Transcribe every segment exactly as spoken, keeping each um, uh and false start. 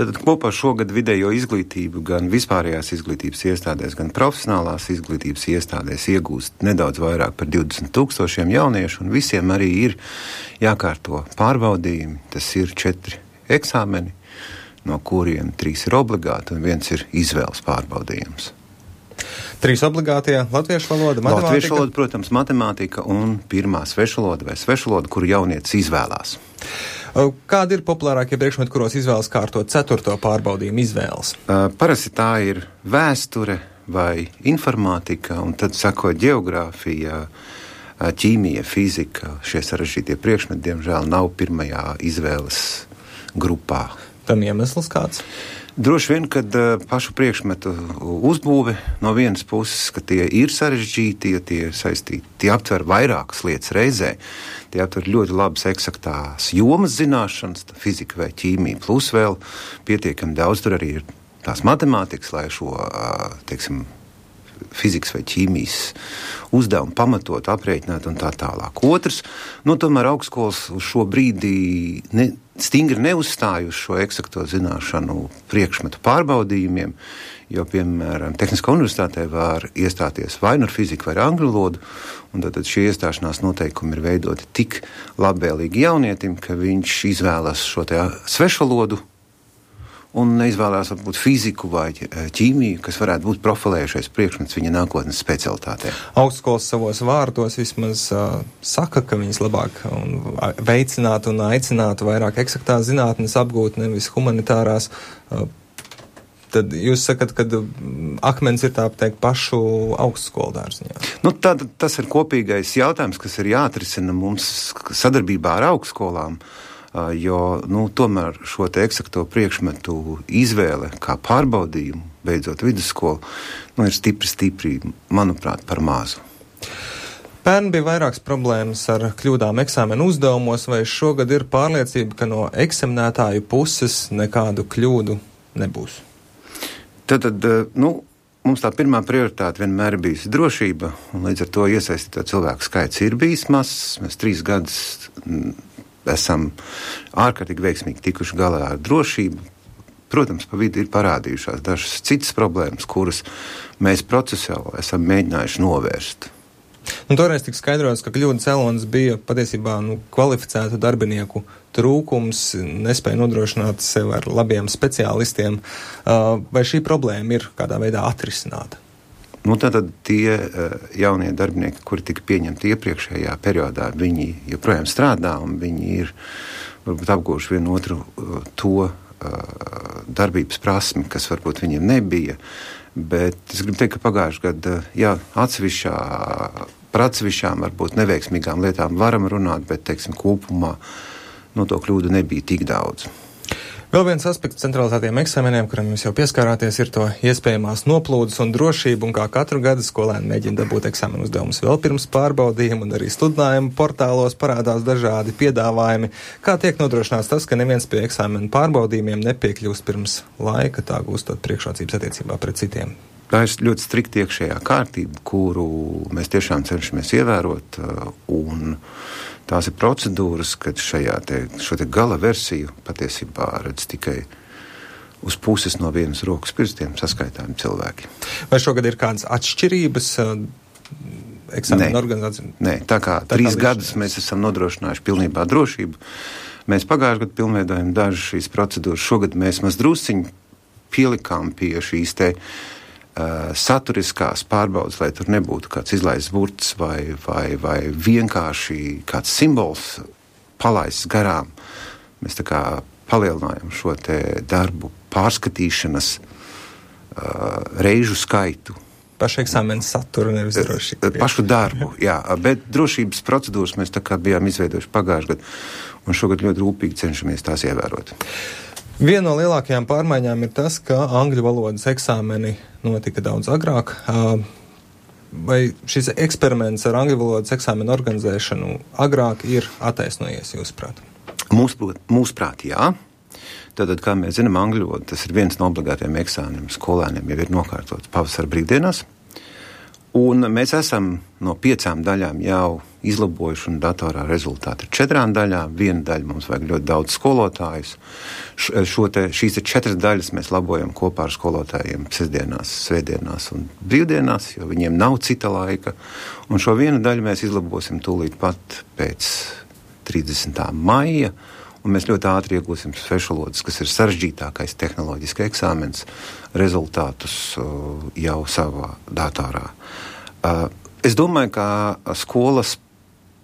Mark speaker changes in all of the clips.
Speaker 1: Tad kopā šogad vidējo izglītību gan vispārējās izglītības iestādēs, gan profesionālās izglītības iestādēs iegūst nedaudz vairāk par divdesmit tūkstošiem jauniešu, un visiem arī ir jākārto pārbaudījumi. Tas ir četri eksāmeni, no kuriem trīs ir obligāti un viens ir izvēles pārbaudījums.
Speaker 2: Trīs obligātie - latviešu valoda, matemātika?
Speaker 1: Latviešu valoda, protams, matemātika un pirmā svešvaloda vai svešvaloda, kuru jaunietis izvēlās.
Speaker 2: Kādi ir populārākie priekšmeti, kuros izvēles kārtot ceturto pārbaudījumu izvēles?
Speaker 1: Uh, parasti tā ir vēsture vai informātika, un tad sako ģeogrāfija, ķīmija, fizika. Šie sarežģītie priekšmeti, diemžēl, nav pirmajā izvēles grupā.
Speaker 2: Tam iemesls kāds?
Speaker 1: Droši vien, kad uh, pašu priekšmetu uzbūve no vienas puses, ka tie ir sarežģīti, ja tie ir saistīti, tie aptver vairākas lietas reizē, tie aptver ļoti labas eksaktās jomas zināšanas, fizika vai ķīmija, plus vēl pietiekami daudz, tur arī ir tās matemātikas, lai šo, uh, teiksim, fizikas vai ķīmijas uzdevumu pamatot, aprēķināt un tā tālāk. Otrs, nu tomēr augstskolas uz šo brīdī ne, stingri neuzstāj uz šo eksakto zināšanu priekšmetu pārbaudījumiem, jo, piemēram, Tehniskā universitātē var iestāties vai nu ar fiziku vai ar angļu valodu, un tad šie iestāšanās noteikumi ir veidoti tik labvēlīgi jaunietim, ka viņš izvēlas šo te svešvalodu un neizvēlās varbūt fiziku vai ķīmiju, kas varētu būt profilējušais priekšmets viņa nākotnes specialitātē.
Speaker 2: Augstskolas savos vārdos vismaz uh, saka, ka viņas labāk un veicinātu un aicinātu vairāk eksaktās zinātnes apgūt, nevis humanitārās. Uh, tad jūs sakat, ka akmens ir tā teikt pašu augstskolu dārziņā.
Speaker 1: Nu, tad, tas ir kopīgais jautājums, kas ir jāatrisina mums sadarbībā ar augstskolām. Jo, nu, tomēr šo te eksakto priekšmetu izvēle kā pārbaudījumu, beidzot vidusskolu, nu, ir stipri, stipri, manuprāt, par mazu.
Speaker 2: Pērn bija vairākas problēmas ar kļūdām eksāmenu uzdevumos, vai šogad ir pārliecība, ka no eksaminētāju puses nekādu kļūdu nebūs?
Speaker 1: Tad, tad, nu, mums tā pirmā prioritāte vienmēr ir bijusi drošība, un līdz ar to iesaistīto cilvēku skaits ir bijis mazs. Mēs trīs gadus esam ārkārtīgi veiksmīgi tikuši galā ar drošību. Protams, pa vidu ir parādījušās dažas citas problēmas, kuras mēs procesuāli esam mēģinājuši novērst.
Speaker 2: Un toreiz tika skaidrots, ka kļūda cēlonis bija patiesībā nu, kvalificētu darbinieku trūkums, nespēja nodrošināt sev ar labiem speciālistiem. Vai šī problēma ir kādā veidā atrisināta?
Speaker 1: Nu, tātad tie uh, jaunie darbinieki, kuri tika pieņemti iepriekšējā periodā, viņi joprojām strādā un viņi ir varbūt apgūši vienu otru uh, to uh, darbības prasmi, kas varbūt viņiem nebija. Bet es gribu teikt, ka pagājušajā gadā, jā, atsevišķā, par atsevišķām varbūt neveiksmīgām lietām varam runāt, bet, teiksim, kopumā no to kļūdu nebija tik daudz.
Speaker 2: Vēl viens aspekts centralizētiem eksāmeniem, kuram jūs jau pieskārāties, ir to iespējamās noplūdes un drošību, un kā katru gadu skolēni mēģina dabūt eksāmenu uzdevumus vēl pirms pārbaudījuma, un arī sludinājumu portālos parādās dažādi piedāvājumi. Kā tiek nodrošināts tas, ka neviens pie eksāmenu pārbaudījumiem nepiekļūst pirms laika, tā gūstot priekšrocības attiecībā pret citiem?
Speaker 1: Tā ir ļoti strikta iekšējā kārtība, kuru mēs tiešām cenšamies ievērot, un tās ir procedūras, kad šajā te, šo te gala versiju patiesībā redz tikai uz puses no vienas rokas pirkstiem saskaitāmi cilvēki.
Speaker 2: Vai šogad ir kādas atšķirības eksāmenu organizācijā?
Speaker 1: Nē, tā kā tā trīs kā gadus mēs esam nodrošinājuši pilnībā drošību. Mēs pagājušajā gadā pilnveidojam dažas šīs procedūras. Šogad mēs maz drusciņi pielikām pie šīs te Uh, saturiskās pārbaudas, lai tur nebūtu kāds izlaists burts vai, vai, vai vienkārši kāds simbols palaists garām. Mēs tā kā palielinājam šo te darbu pārskatīšanas uh, reižu skaitu.
Speaker 2: Pašu eksāmenu saturu, nevis drošību.
Speaker 1: Pašu darbu, jā, bet drošības procedūras mēs tā kā bijām izveidojuši pagājušajā gadā, un šogad ļoti rūpīgi cenšamies tās ievērot.
Speaker 2: Viena no lielākajām pārmaiņām ir tas, ka angļu valodas eksāmeni notika daudz agrāk. Vai šis eksperiments ar angļu valodas eksāmenu organizēšanu agrāk ir attaisnojies, jūsuprāt?
Speaker 1: Mūsuprāt, mūsuprāt, jā. Tātad, kā mēs zinām, angļu valoda, tas ir viens no obligātiem eksāmeniem skolēniem, jau ir nokārtots pavasara brīvdienās. Un mēs esam no piecām daļām jau izlabojuši, un datorā rezultāti ir četrām daļām. Viena daļa mums vajag ļoti daudz skolotājus. Šo te, šīs te četras daļas mēs labojam kopā ar skolotājiem sestdienās, svētdienās un brīvdienās, jo viņiem nav cita laika. Un šo vienu daļu mēs izlabosim tūlīt pat pēc trīsdesmitā maija, un mēs ļoti ātri iegūsim svešvalodas, kas ir sarežģītākais tehnoloģiski eksāmens, rezultātus jau savā datorā. Es domāju, ka skolas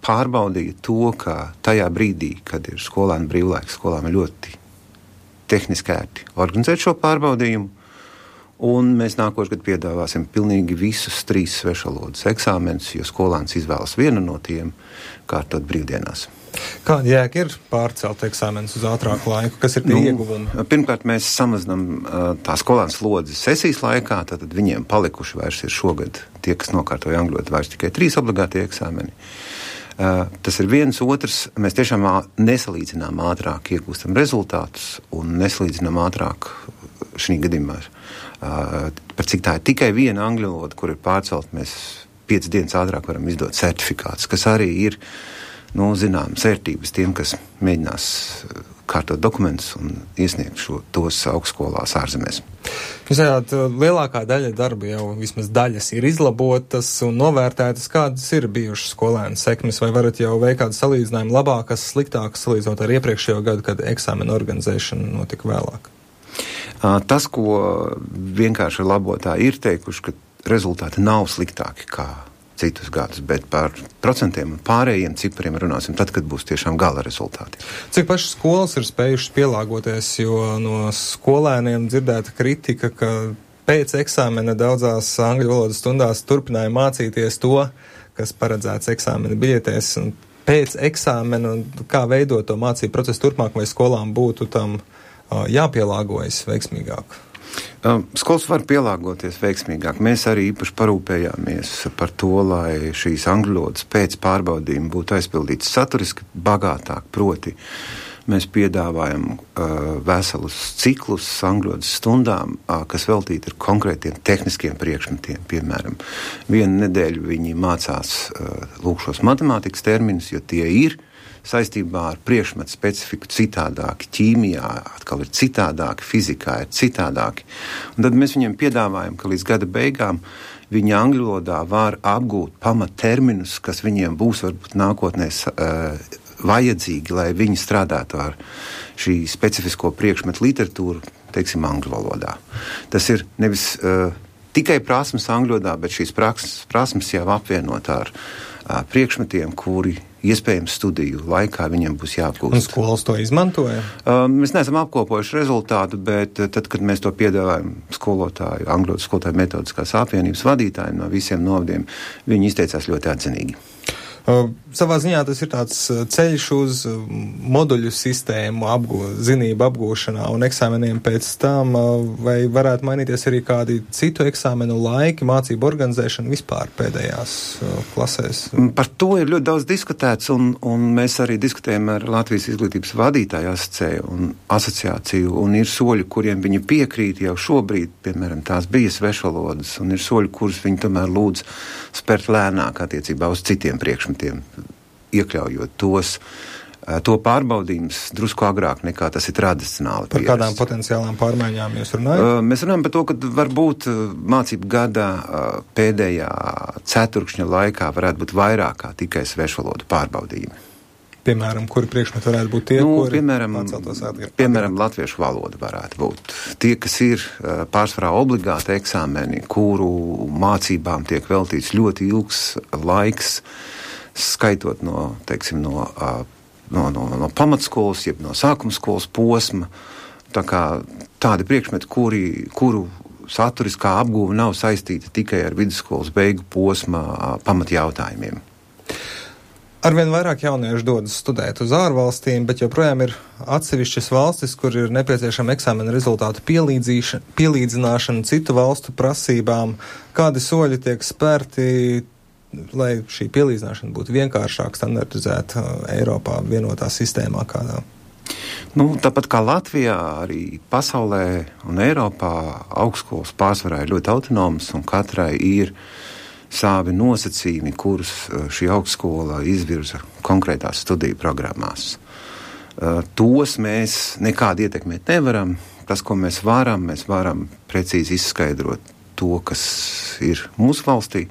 Speaker 1: pārbaudīja to, ka tajā brīdī, kad ir skolēnu brīvlaiks, skolām ir ļoti tehniski ērti organizēt šo pārbaudījumu, un mēs nākošu gadu piedāvāsim pilnīgi visus trīs svešvalodas eksāmenus, jo skolēns izvēlas vienu no tiem, kārtot brīvdienās.
Speaker 2: Kāda jēga ir pārcelt eksāmenus uz ātrāku laiku? Kas ir tie nu, ieguvumi?
Speaker 1: Pirmkārt, mēs samazinām uh, tā skolēnu slodzi sesijas laikā, tātad viņiem palikuši vairs ir šogad tie, kas nokārtoja angļu valodu, vairs tikai trīs obligātie eksāmeni. Uh, tas ir viens, otrs, mēs tiešām nesalīdzinām ātrāk iegūstam rezultātus un nesalīdzinām ātrāk šī gadījumā. Uh, par cik tā ir tikai viena angļu valoda, kur ir pārcelt, mēs piecas dienas ātrāk varam izdot certifikātus, kas arī ir nu, zināmas vērtības tiem, kas mēģinās kārtot dokumentus un iesniegt šo, tos augstskolās ārzemēs.
Speaker 2: Jūs zināt, lielākā daļa darba jau vismaz daļas ir izlabotas un novērtētas. Kādas ir bijušas skolēnu sekmes, vai varat jau veikt kādu salīdzinājumu labākas, sliktākas, salīdzinot ar iepriekšējo gadu, kad eksāmena organizēšana notika vēlāk?
Speaker 1: Tas, ko vienkārši labotāji ir teikuši, ka rezultāti nav sliktāki kā citus gadus, bet par procentiem un pārējiem cipariem runāsim tad, kad būs tiešām gala rezultāti.
Speaker 2: Cik pašas skolas ir spējušas pielāgoties, jo no skolēniem dzirdēta kritika, ka pēc eksāmena daudzās angļu valodas stundās turpināja mācīties to, kas paredzēts eksāmena biļetēs, un pēc eksāmena, kā veidot to mācību procesu turpmāk, vai skolām būtu tam uh, jāpielāgojas veiksmīgāk?
Speaker 1: Skolas var pielāgoties veiksmīgāk. Mēs arī īpaši parūpējāmies par to, lai šīs angļu valodas pēc pārbaudījuma būtu aizpildītas saturiski bagātāk, proti mēs piedāvājam uh, veselus ciklus angļu valodas stundām, uh, kas veltīti ar konkrētiem tehniskiem priekšmetiem. Piemēram, vienu nedēļu viņi mācās uh, lūk šos matemātikas terminus, jo tie ir saistībā ar priekšmetu specifiku citādāki, ķīmijā atkal ir citādāki, fizikā ir citādāki. Un tad mēs viņiem piedāvājam, ka līdz gada beigām viņi angļu valodā var apgūt pamatterminus, kas viņiem būs varbūt nākotnē uh, vajadzīgi, lai viņi strādātu ar šī specifisko priekšmetu literatūru, teiksim, angļu valodā. Tas ir nevis uh, tikai prasmes angļu valodā, bet šīs prasmes, prasmes jau apvienot ar uh, priekšmetiem, kuri iespējams studiju laikā viņiem būs jāapgūst.
Speaker 2: Un skolas to izmantoja?
Speaker 1: Uh, mēs neesam apkopojuši rezultātu, bet uh, tad, kad mēs to piedāvājam skolotāju, angļu skolotāju metodiskās apvienības vadītājiem no visiem novadiem, viņi izteicās ļoti atzinīgi.
Speaker 2: Uh, savā ziņā tas ir tāds ceļš uz moduļu sistēmu apgū, zinību apgūšanā un eksāmeniem pēc tam, uh, vai varētu mainīties arī kādi citu eksāmenu laiki, mācību organizēšana vispār pēdējās uh, klasēs?
Speaker 1: Par to ir ļoti daudz diskutēts, un, un mēs arī diskutējam ar Latvijas izglītības vadītāju asociāciju un asociāciju, un ir soļi, kuriem viņi piekrīt jau šobrīd, piemēram, tās bija svešvalodas, un ir soļi, kurus viņi tomēr lūdz spērt lēnāk attiecībā uz citiem priekšmetiem, iekļaujot tos, to pārbaudījums drusku agrāk nekā tas ir tradicionāli.
Speaker 2: Par kādām potenciālām pārmaiņām jūs runājat?
Speaker 1: Mēs runājam par to, ka varbūt mācību gada pēdējā ceturkšņa laikā varētu būt vairāk kā tikai svešvalodu pārbaudījumi.
Speaker 2: Piemēram, kuri priekšmeti varētu būt tie,
Speaker 1: nu,
Speaker 2: kuri
Speaker 1: piemēram, piemēram, latviešu valoda varētu būt. Tie, kas ir pārsvarā obligāti eksāmeni, kuru mācībām tiek veltīts ļoti ilgs laiks, skaitot no, teiksim, no, no, no, no pamatskolas, jeb no sākumskolas posma, tā kā tādi priekšmeti, kuri, kuru saturiskā apguve nav saistīta tikai ar vidusskolas beigu posma pamatjautājumiem.
Speaker 2: Arvien vairāk jauniešu dodas studēt uz ārvalstīm, bet joprojām ir atsevišķas valstis, kur ir nepieciešama eksāmena rezultātu pielīdzināšana citu valstu prasībām. Kādi soļi tiek spērti, lai šī pielīdzināšana būtu vienkāršāk standartizēta Eiropā, vienotā sistēmā kādā?
Speaker 1: Nu, tāpat kā Latvijā, arī pasaulē un Eiropā augstskolas pārsvarā ir ļoti autonomas un katrai ir savi nosacījumi, kurus šī augstskola izvirza konkrētās studiju programmās. Tos mēs nekādi ietekmēt nevaram. Tas, ko mēs varam, mēs varam precīzi izskaidrot to, kas ir mūsu valstī,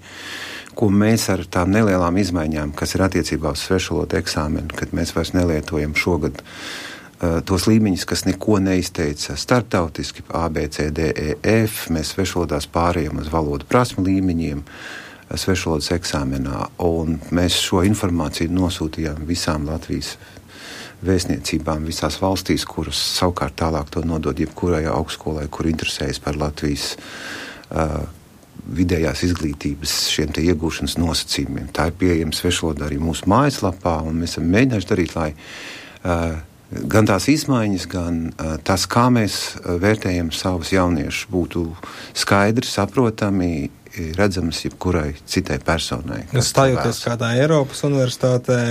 Speaker 1: ko mēs ar tām nelielām izmaiņām, kas ir attiecībā uz svešvalodu eksāmenu, kad mēs vairs nelietojam šogad uh, tos līmeņus, kas neko neizteica starptautiski, A, B, C, D, E, F, mēs svešvalodās pārējām uz valodu prasmu līmeņiem, svešvalodas eksāmenā, un mēs šo informāciju nosūtījām visām Latvijas vēstniecībām visās valstīs, kuras savukārt tālāk to nodod jebkurai augstskolai, kur interesējas par Latvijas uh, vidējās izglītības šiem te iegūšanas nosacījumiem. Tā ir pieejama svešvalodā arī mūsu mājaslapā, un mēs esam mēģinājuši darīt, lai uh, gan tās izmaiņas, gan uh, tas, kā mēs uh, vērtējam savus jauniešus, būtu skaidri, saprotami, redzamas jebkurai citai personai.
Speaker 2: Stājoties kādā Eiropas universitātē,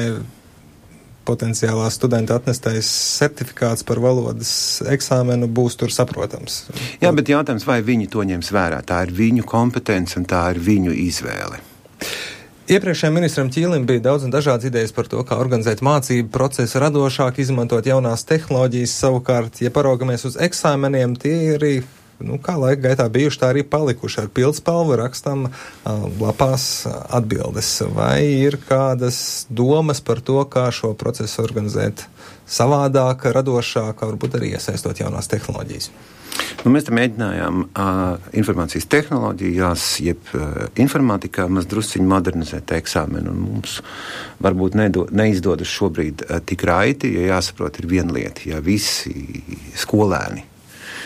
Speaker 2: potenciālā studenta atnestais certifikāts par valodas eksāmenu būs tur saprotams.
Speaker 1: Jā, bet jautājums, vai viņi to ņems vērā? Tā ir viņu kompetence un tā ir viņu izvēle.
Speaker 2: Iepriekšējiem ministram Ķīlim bija daudz un dažādas idejas par to, kā organizēt mācību procesu radošāk, izmantot jaunās tehnoloģijas. Savukārt, ja paraugamies uz eksāmeniem, tie arī nu, kā laika gaitā bijuši, tā arī palikuši. Ar pildspalvu rakstam uh, lapās atbildes. Vai ir kādas domas par to, kā šo procesu organizēt savādāk, radošāk, varbūt arī iesaistot jaunās tehnoloģijas?
Speaker 1: Nu, mēs te mēģinājām uh, informācijas tehnoloģijās, jeb uh, informātikā maz drusciņu modernizēt eksāmenu, un mums varbūt nedo, neizdodas šobrīd uh, tik raiti, jo jāsaprot ir viena lieta, ja visi skolēni,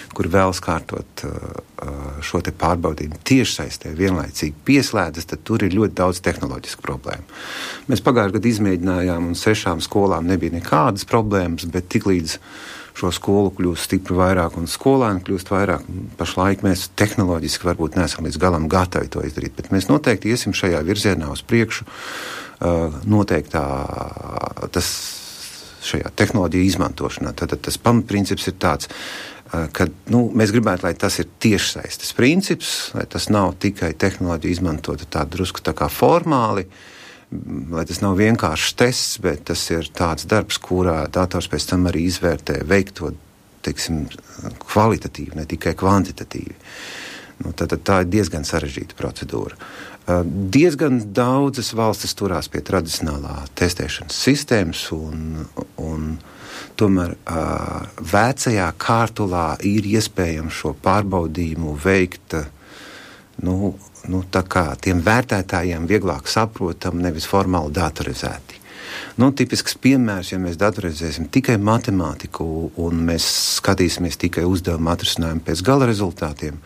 Speaker 1: kur vēlas kārtot uh, šo te pārbaudījumu tiešsaistē vienlaicīgi pieslēdzas, tad tur ir ļoti daudz tehnoloģisku problēmu. Mēs pagājušajā gadā izmēģinājām, un sešām skolām nebija nekādas problēmas, bet tiklīdz šo skolu kļūst stipri vairāk un skolēni kļūst vairāk, pašlaik mēs tehnoloģiski varbūt neesam līdz galam gatavi to izdarīt, bet mēs noteikti iesim šajā virzienā uz priekšu, uh, noteiktā tas šajā tehnoloģija izmantošanā. Tad tas pamatprincips ir tāds, kad nu, mēs gribētu, lai tas ir tiešsaistes princips, lai tas nav tikai tehnoloģija izmantota tā drusku tā kā formāli, lai tas nav vienkāršs tests, bet tas ir tāds darbs, kurā dators pēc tam arī izvērtē veikto, teiksim, kvalitatīvi, ne tikai kvantitatīvi. Nu, tad, tad tā ir diezgan sarežģīta procedūra. Uh, diezgan daudzas valstis turās pie tradicionālā testēšanas sistēmas un, un tomēr uh, vecajā kārtulā ir iespējams šo pārbaudījumu veikt nu, nu, tā kā tiem vērtētājiem vieglāk saprotam, nevis formāli datorizēti. Nu, tipisks piemērs, ja mēs datorizēsim tikai matemātiku un mēs skatīsimies tikai uzdevumu atrisinājumu pēc gala rezultātiem,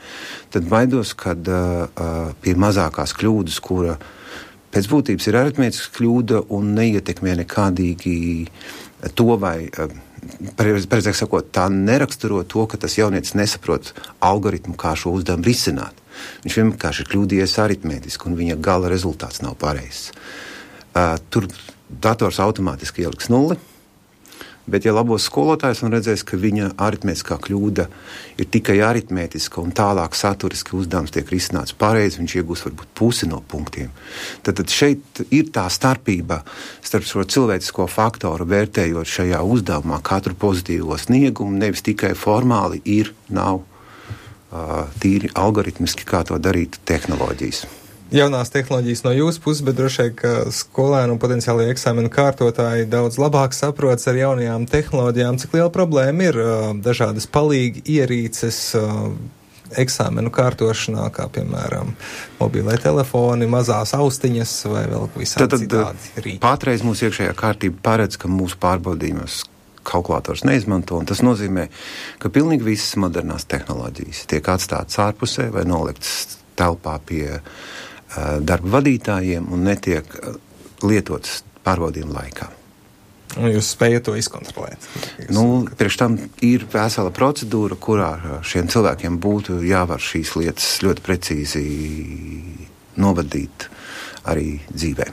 Speaker 1: tad baidos, kad uh, pie mazākās kļūdas, kura pēc būtības ir aritmētiska kļūda un neietekmē nekādīgi to vai, precīzāk sakot, tā neraksturo to, ka tas jaunietis nesaprot algoritmu, kā šo uzdevumu risināt. Viņš vienkārši ir kļūdījies aritmētiski un viņa gala rezultāts nav pareizs. Uh, tur dators automātiski ieliks nulli, bet ja labos skolotājs un redzēs, ka viņa aritmētiskā kļūda ir tikai aritmētiska un tālāk saturiski uzdevums tiek risināts pareizi, viņš iegūs varbūt pusi no punktiem. Tad, tad šeit ir tā starpība starp šo cilvēcisko faktoru vērtējot šajā uzdevumā katru pozitīvo sniegumu, nevis tikai formāli ir, nav uh, tīri algoritmiski, kā to darīt tehnoloģijas.
Speaker 2: Jaunās tehnoloģijas no jūsu puses, bet droši vien, ka skolēni un potenciāli eksāmenu kārtotāji daudz labāk saprotas ar jaunajām tehnoloģijām. Cik liela problēma ir uh, dažādas palīgi ierīces uh, eksāmenu kārtošanā, kā piemēram mobilai telefoni, mazās austiņas vai vēl visādi citādi rīki?
Speaker 1: Patreiz mūsu iekšējā kārtība paredz, ka mūsu pārbaudījumos kalkulators neizmanto, un tas nozīmē, ka pilnīgi visas modernās tehnoloģijas tiek atstātas ārpusē vai noliktas telpā pie darba vadītājiem un netiek lietotas pārbaudījuma laikā.
Speaker 2: Un jūs spējat to izkontrolēt?
Speaker 1: Nu, priekš tam ir vesela procedūra, kurā šiem cilvēkiem būtu jāvar šīs lietas ļoti precīzi novadīt arī dzīvē.